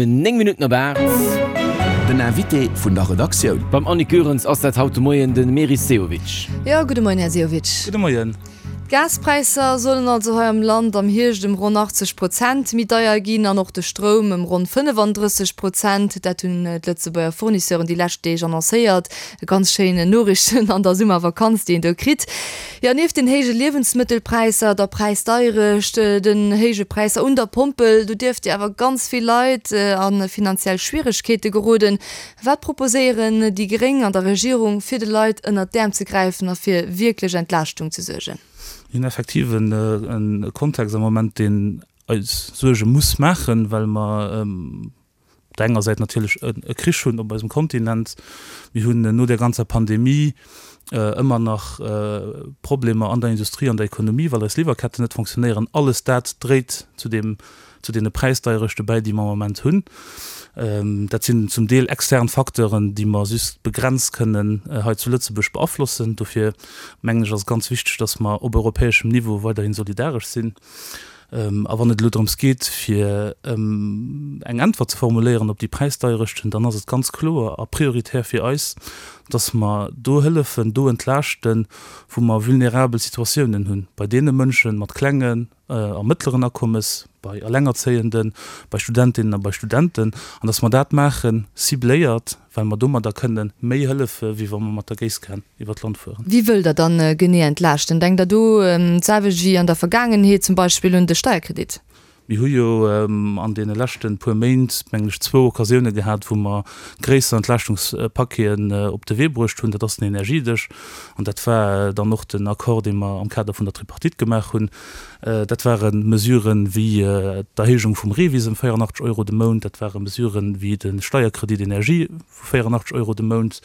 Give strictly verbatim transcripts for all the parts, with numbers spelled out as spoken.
Néng Minutten op aacht. Den Invité vun der Redaktioun. Beim Annick Goerens ass dat haut de Moien de Meris Sehovic. Jo, gudde Moien, Här Sehovic. Gudde Moien. D'Gaspräisser sollen also hei am Land am Hierscht ëm ronn achtzeg Prozent méi deier ginn an och de Stroum ëm ronn fënnefandrësseg Prozent. Dat hunn d'Lëtzebuerger Fournisseuren déi lescht Deeg annoncéiert. Ganz schéin Noriichten an der Summervakanz, déi een do kritt. Jo, nieft den héije Liewensmëttelpräisser, der Präisdeierecht, den héije Präisser un der Pompel, do dierft jo awer ganz vill Leit a finanziell Schwieregkeete geroden. Wat proposéieren déi Gréng an der Regierung, fir de Leit ënnert d'Äerm ze gräifen a fir wierklech Entlaaschtung ze suergen? Mir hunn effektiv e Kontext am Moment, deen eis Suerge muss maachen, well mer op der enger Säit natierlech e Krich hunn op eisem Kontinent. Mir hunn no där ganzer Pandemie ëmmer nach Problemer an der Industrie, an der Ekonomie, well eis Liwwerketten net fonctionnéieren. Alles dat dréit zu deem, zu deene Präisdeierechte bäi, déi mer am Moment hunn. Dat sinn zum Deel extern Facteuren, déi mer just begrenzt kënnen hei zu Lëtzebuerg beaflossen. Dofir mengen ech, ass et ganz wichteg, dass mer op europäeschem Niveau weiderhi solidaresch sinn. A wann et elo drëms geet, fir eng Äntwert ze formuléieren op déi Präisdeierechten, dann ass et ganz kloer a prioritär fir eis, dass mer do hëllefen, do entlaaschten, wou mer vulnerabel Situatiounen hunn, bei deene Mënsche mat klengen a mëttleren Akommes, bei Allengerzéienden, bei Studentinnen a bei Studenten, an dass mer dat maachen, cibléiert, well mer domadder kënne méi hëllefe wéi wa mer mat der Géisskan iwwer d'Land fueren. Wéi wëllt Der dann genee entlaaschten? Denkt Der do d'selwecht wéi an der Vergaangenheet, zum Beispill un de Steierkredit? Mir hu jo an deene leschte puer Méint, mengen ech, zwou Occasioune gehat, wou mer gréisser Entlaaschtungs-Paqueten op de Wee bruecht hunn. Dat ass den Energiedësch an dat war dann och den Accord, dee mer am Kader vun der Tripartite gemaach hunn. Dat ware Mesuren wéi d'Erhéijung vum REVIS ëm véierundachtzeg Euro de Mount, dat ware Mesuren wéi de Steierkredit Energie vu véierundachtzeg Euro de Mount,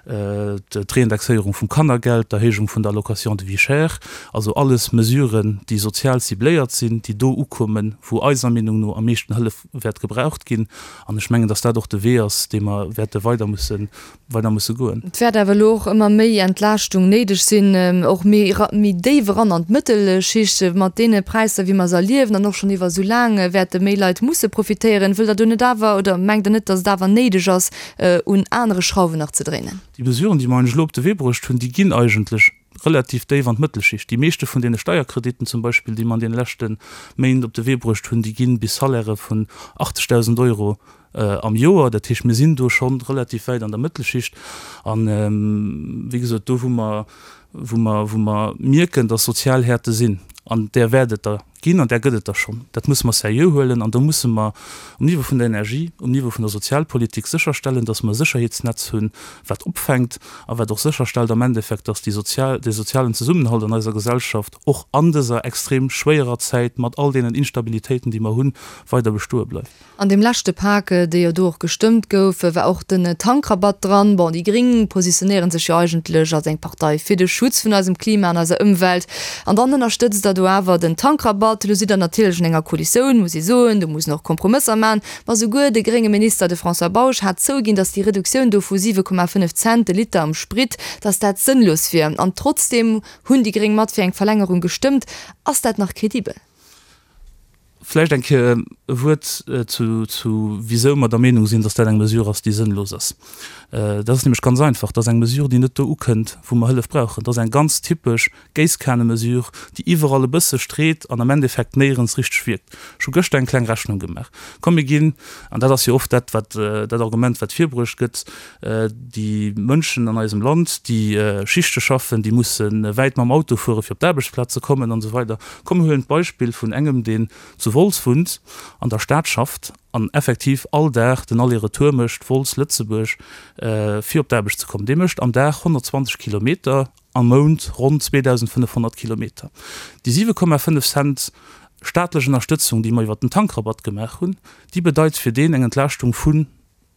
d'Reindexéierung vum Kannergeld, d'Erhéijung vun der Allocation de vie chère, also alles Mesuren, déi sozial cibléiert sinn, déi do ukommen, wou eiser Meenung no am meeschten Hëllef wäert gebraucht ginn. An ech mengen, dass dat och de Wee ass, dee mer wäerte weider mussen, weider musse goen. Et wäert awer elo och ëmmer méi Entlaaschtung néideg sinn, och méi, méi déif eran an d'Mëttelschicht. Mat deene Präisser, wéi mer se erliewen an och schonn iwwer esou laang, wäerte méi Leit musse profitéieren. Wëllt Der do net awer, oder mengt Der net, dass et awer néideg ass, un anere Schrauwen nach ze dréinen? Déi Mesuren, déi mer eigentlech elo op de Wee bruecht hunn, déi ginn eigentlech relativ déif an d'Mëttelschicht. Déi meeschte vun deene Steierkrediten zum Beispill, déi mer an deene leschte Méint op de Wee bruecht hunn, déi gi bis Salairë vun achtzegdausend Euro am Joer. Dat heescht, mir sinn do scho relativ wäit an der Mëttelschicht. An, wéi gesot, do wou mer, wou mer, wou mer mierken, dass sozial Häerte sinn, an där wäert et der ginn, an där gëtt et der schonn, dat musse mer seriö huelen an do musse mer um Niveau vun der Energie, um Niveau vun der Sozialpolitik sécherstellen, dass mer e Sécherheetsnetz hunn, wat opfänkt a wat och sécherstellt am Endeffekt, dass déi sozial, dee sozialen Zesummenhalt an eiser Gesellschaft och an dëser extrem schwéierer Zäit mat all deenen Instabilitéiten, déi mer hunn, weider bestoe bleift. An deem leschte Pak, dee jo do och gestëmmt gouf, war och den Tankrabatt dran. Bon, déi Gréng positionéiere sech jo eigentlech als eng Partei fir de Schutz vun eisem Klima an eiser Ëmwelt. An dann ënnerstëtzt Der do awer den Tankrabatt. Elo sidd Der natierlech an enger Koalitioun, muss ee soen, do muss een och Kompromësser maachen. Ma souguer de grénge Minister, de François Bausch, hat zouginn, datt déi Reduktioun do vu siwe Komma fënnef Cent de Liter am Sprit, datt dat sënnlos wier. An trotzdeem hunn déi Gréng mat fir eng Verlängerung gestëmmt. Ass dat nach kredibel? Vläicht eng Kéier e Wuert zu, zu wisou mer der Meenung sinn, dass dat eng Mesure ass, déi sënnlos ass. Dat ass nämlech ganz einfach, Dat ass eng Mesure, déi net do ukënnt, wou mer Hëllef brauchen. Dat ass eng ganz typesch Géisskanemesure, déi iwwerall e bësse street an am Endeffekt néierens richteg wierkt. Ech hu gëschter eng kleng Rechnung gemaach. Komm, mir ginn, an dat ass jo oft dat, wat, dat Argument, wat virbruecht gëtt, déi Mënschen an eisem Land, déi Schichte schaffen, déi musse wäit mam Auto fuere fir op d'Aarbechtsplaz ze kommen an esou weider. Komm, mir huelen d'Beispill vun engem, deen zu Wolz wunnt, an der Stad schafft an effektiv all Dag den Aller-Retour mécht, Wolz, Lëtzebuerg, fir op d'Aarbecht ze kommen. Dee mécht am Dag honnertzwanzeg Kilometer, am Mount ronn zweedausendfënnefhonnert Kilometer. Déi siwe Komma fënnef Cent staatlech Ënnerstëtzung, déi mer iwwert den Tankrabatt gemaach hunn, déi bedeit fir deen eng Entlaaschtung vun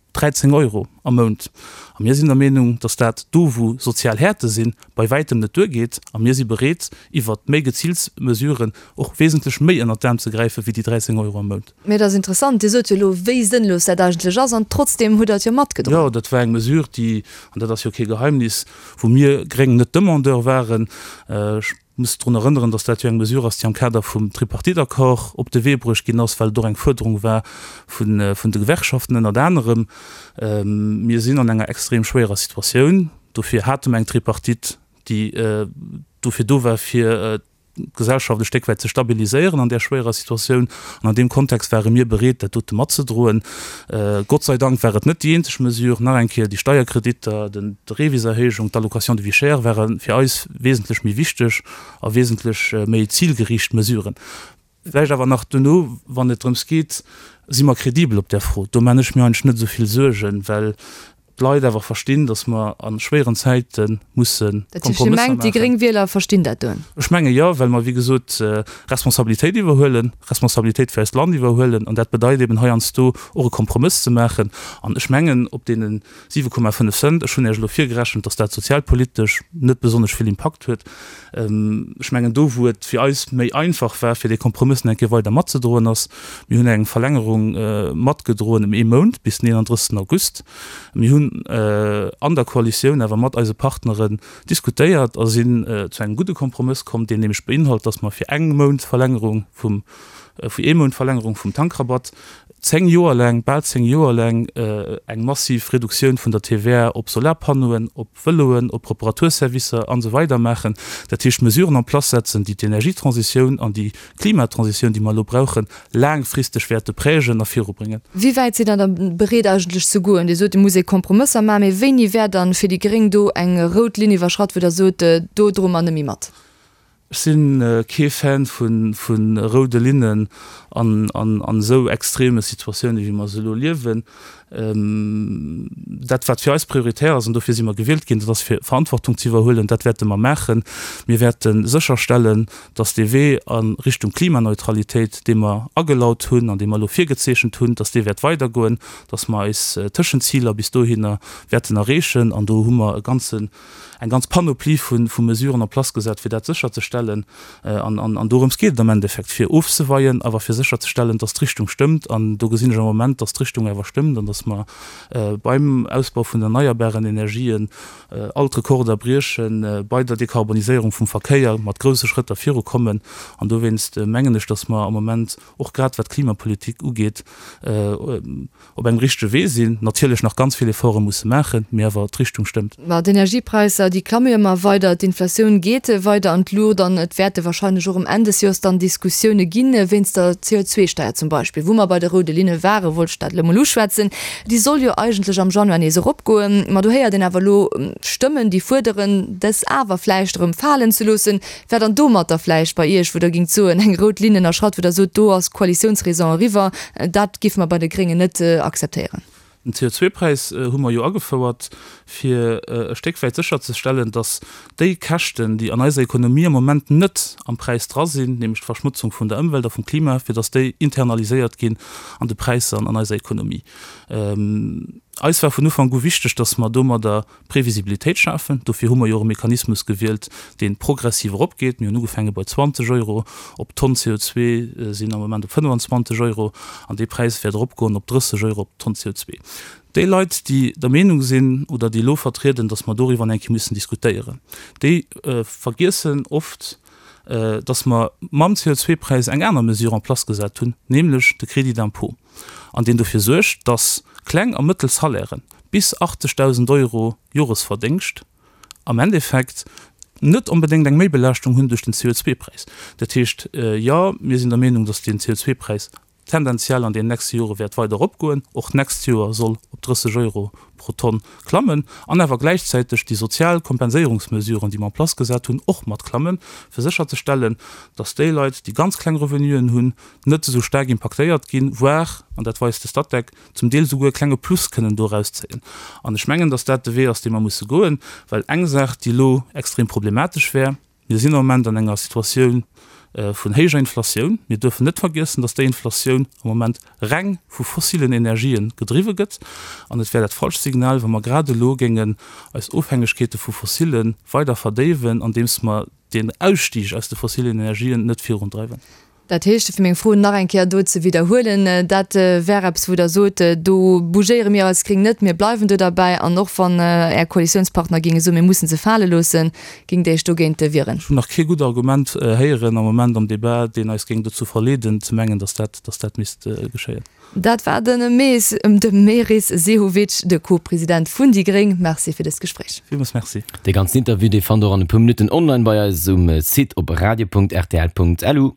dräizéng Euro am Mount. A mir sinn der Meenung, dass dat do, wou sozial Häerte sinn, bei wäitem net duergeet. A mir si bereet, iwwert méi geziilt Mesuren och wesentlech méi ënnert d'Aarm ze gräifen, wéi déi dräizéng Euro am Mount. Mee et ass interessant, Dir sot jo elo, wéi sënnlos dat eigentlech ass, an trotzdeem hutt Der et jo matgedroen. Jo, dat war eng Mesure, déi, an dat ass jo kee Geheimnis, wou mir Gréng net Demandeur waren. Ech Muss drun erënneren, dass dat jo eng Mesure ass, déi am Kader vum Tripartite-Accord op de Wee bruecht ginn ass, well et och eng Fuerderung war vun de Gewerkschaften ënnert anerem. Mir sinn an enger extrem schwéierer Situatioun. Dofir hate mer eng Tripartite, déi dofir do war, fir d'Gesellschaft e Stéck wäit ze stabiliséieren an där schwéierer Situatioun. An an deem Kontext ware mir bereet, dat dote matzedroen. Gott sei Dank war et net déi eenzeg Mesure. Nach eng Kéier, déi Steierkreditter, d'Reviserhéijung, d'Allocation de vie chère ware fir eis wesentlech méi wichteg a wesentlech méi zilgeriicht Mesuren. Vläicht awer nach duerno, wann et drëms geet, si mer kredibel op där Fro? Do man ech mir eigentlech net esou vill Suergen, well d'Leit awer verstinn, datt mer a schwéieren Zäite musse Dat heescht, Dir Kompromësser mengt, déi maachen. gréng Wieler verstinn dat dunn? Ech menge jo, well mer, wéi gesot, Responsabilitéit iwwerhuelen, Responsabilitéit fir eist Land iwwerhuelen. An dat bedeit eben heiansdo och e Kompromëss ze maachen. An ech mengen, op deene siwe Komma fënnef Cent, ech hunn Iech elo virgerechent, datt dat sozialpolitesch net besonnesch vill Impakt huet, ech mengen, do wou et fir eis méi einfach war, fir dee Kompromëss nach eng Kéier weider matzedroen, ass, mir hunn eng Verlängerung matgedroen ëm ee Mount bis den eenanddrëssegsten August. Mir hunn an der Koalitioun awer mat eise Partneren diskutéiert a sinn zu engem gudde Kompromëss komm, deen nämlech beinhalt, dass mer fir eng Mount Verlängerung vum, fir ee Mount Verlängerung vum Tankrabatt zéng Joer laang, bal zéng Joer laang eng massiv Reduktioun vun der T V A op Solarpannoen, op Vëloen, op Reparaturservicer an esou weider maachen. Dat heescht Mesuren en place setzen, déi d'Energietransitioun an déi Klimatransitioun, déi mer elo brauchen, laangfristeg wäerte prägen a virubréngen. Wéi wäit sidd Der da bereet eigentlech ze goen? Dir sot, et muss ee Kompromësser maachen, mee wéini wär dann fir déi Gréng do eng rout Linn iwwerschratt, wou Der sot, do droe mer net méi mat? Ech si kee Fan vu roude Linnen an esou extreme Situatioune wéi mer se elo liewen. Dat wat fir eis prioritär ass, an dofir si mer gewielt ginn, dat ass fir Verantwortung ze iwwerhuelen. Dat wäerte mer maachen. Mir wäerte sécherstellen, datt dee Wee a Richtung Klimaneutralitéit, dee mer agelaut hunn an dee mer elo virgezeechent hunn, datt dee wäert weidergoen, datt mer eis Tëschenziler bis dohinner wäerten erreechen. An do hu mer e ganzen eng ganz Panoplie vu Mesuren en place gesat, fir dat sécherzestellen. An dorëms geet et am Endeffekt, fir ofzeweien, awer fir sécherzestellen, dass d'Richtung stëmmt. An do gesinn ech am Moment, dass d'Richtung awer stëmmt an dass mer beim Ausbau vun den erneierbaren Energien all d'Rekorder briechen, bei der Dekarboniséierung vum Verkéier mat grousse Schrëtter virukommen. An dowéinst mengen ech, dass mer am Moment, och grad wat d'Klimapolitik ugeet, op engem richtege Wee sinn, natierlech nach ganz vill Efforte musse maachen, mee awer d'Richtung stëmmt. Ma d'Energiepräisser, déi klamme jo ëmmer weider, d'Inflatioun geet weider an d'Luucht an et wäerte warscheinlech och um Enn des Joers dann Diskussioune ginn, wéinst der C O zwei Steier zum Beispill. Wou mer bei de roude Linne waren, wollt ech dat elo mol uschwätzen. Déi soll jo eigentlech am Januar nees eropgoen, ma do héiert een awer elo Stëmmen, déi fuerderen, dës awer vläicht erëm falen ze loossen. Wär dann domatter vläicht bei Iech, wou Der géingt soen, eng rout Linn ënnerschratt, wou Der sot, do ass d'Koalitiounsraison eriwwer, dat géife mer bei de Gréngen net akzeptéieren? Den C O zwei Präis hu mer jo agefouert, fir e Stéck wäit sécherzestellen, datt déi Käschten, déi an eiser Ekonomie am Moment net am Präis dra sinn, nämlech d'Verschmutzung vun der Ëmwelt a vum Klima, fir datt déi internaliséiert ginn an de Präisser an an eiser Ekonomie. Eis war vun Ufank u wichteg, datt mer domadder Previsibilitéit schafen. Dofir hu mer jo och e Mechanismus gewielt, dee progressiv eropgeet. Mir hunn ugefaange bei zwanzeg Euro op d'Tonn C O zwei, sinn am Moment op fënnwanzwanzeg Euro an dee Präis wäert eropgoen op drësseg Euro op d'Tonn C O zwei. Déi Leit, déi der Meenung sinn oder déi elo vertrieden, datt mer doriwwer eng Kéier müssen diskutéieren, déi vergiessen oft, datt mer mam C O zwei Präis eng aner Mesure en place gesat hunn, nämlech de Crédit d'impôt, an deen dofir suergt, datt kleng a mëttel Salairen bis achtzegdausend Euro Joresverdéngscht am Endeffekt net onbedéngt eng Méibelaaschtung hunn duerch den C O zwei Präis. Dat heescht, jo, mir sinn der Meenung, datt den C O zwei Präis tendenziell an den nächste Jore wäert weider eropgoen, och d'nächst Joer soll op drësseg Euro pro Tonn klammen, an awer gläichzäiteg déi sozial Kompenséierungsmesuren, déi mer en place gesat hunn, och mat klammen, fir sécherzestellen, datt déi Leit, déi ganz kleng Revenuen hunn, net esou staark impaktéiert ginn, voire, an dat weist de Statec, zum Deel souguer e klenge Plus kënnen do erauszéien. An ech mengen, datt dat de Wee ass, dee mer musse goen, well eng Saach, déi elo extrem problematesch wär, Mir sinn am Moment an enger Situatioun vun héijer Inflatioun. Mir duerfen net vergiessen, dass déi Inflatioun am Moment reng vu fossilen Energien gedriwwe gëtt. An et wär dat falscht Signal, wa mer grad elo géingen eis Ofhängegkeete vu Fossille weider verdéiwen, andeems mer den Ausstig aus de fossilen Energien net virundreiwen. Dat heescht, fir meng Fro nach eng Kéier do ze widderhuelen, dat wär eppes, wou Der sot, do bougéiere mir als Gréng net, mir bleiwen do derbäi. An och wann Är Koalitiounspartner géinge soen, mir mussen se fale loossen, géingt Der Iech dogéint wieren? Ech hunn nach kee gutt Argument héieren am Moment am Débat, deen eis géing dozou verleeden ze mengen, datt dat, datt dat misst geschéien. Dat war de Mees, de Meris Sehovic, de Co-President vun déi gréng. Merci fir dëst Gespréich. Villmools Merci. Dee ganzen Interview, dee fannt der och an e puer Minutten online bei eis um Site op radio.rtl.lu.